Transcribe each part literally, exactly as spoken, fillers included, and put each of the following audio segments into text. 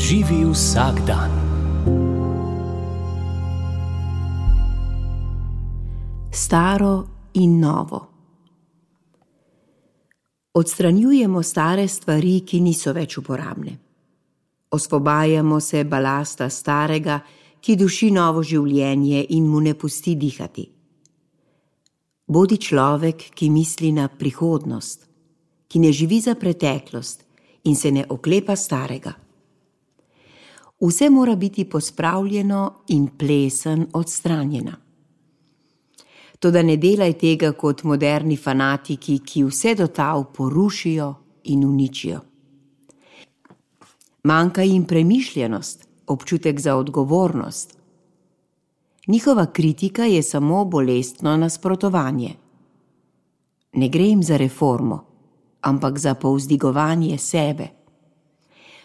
Živi vsak dan. Staro in novo. Odstranjujemo stare stvari, ki niso več uporabne. Osvobajamo se balasta starega, ki duši novo življenje in mu ne pusti dihati. Bodi človek, ki misli na prihodnost, ki ne živi za preteklost in se ne oklepa starega. Vse mora biti pospravljeno in plesen odstranjena. Toda ne delaj tega kot moderni fanatiki, ki vse do tal porušijo in uničijo. Manjka jim premišljenost, občutek za odgovornost. Njihova kritika je samo bolestno nasprotovanje. Ne gre jim za reformo, ampak za povzdigovanje sebe.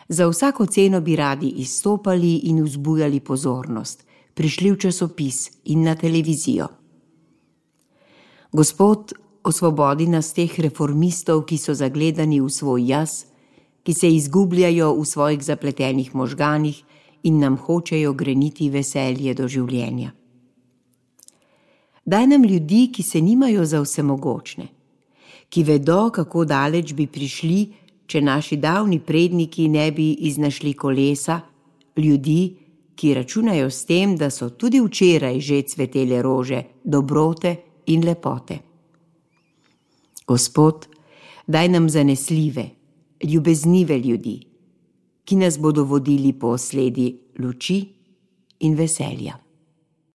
Za vsako ceno bi radi izstopali in vzbujali pozornost, prišli v časopis in na televizijo. Gospod, osvobodi nas teh reformistov, ki so zagledani v svoj jaz, ki se izgubljajo v svojih zapletenih možganih in nam hočejo greniti veselje do življenja. Daj nam ljudi, ki se nimajo za vsemogočne, ki vedo, kako daleč bi prišli, če naši davni predniki ne bi iznašli kolesa, ljudi, ki računajo s tem, da so tudi včeraj že cvetele rože, dobrote in lepote. Gospod, daj nam zanesljive, ljubeznive ljudi, ki nas bodo vodili po sledi luči in veselja.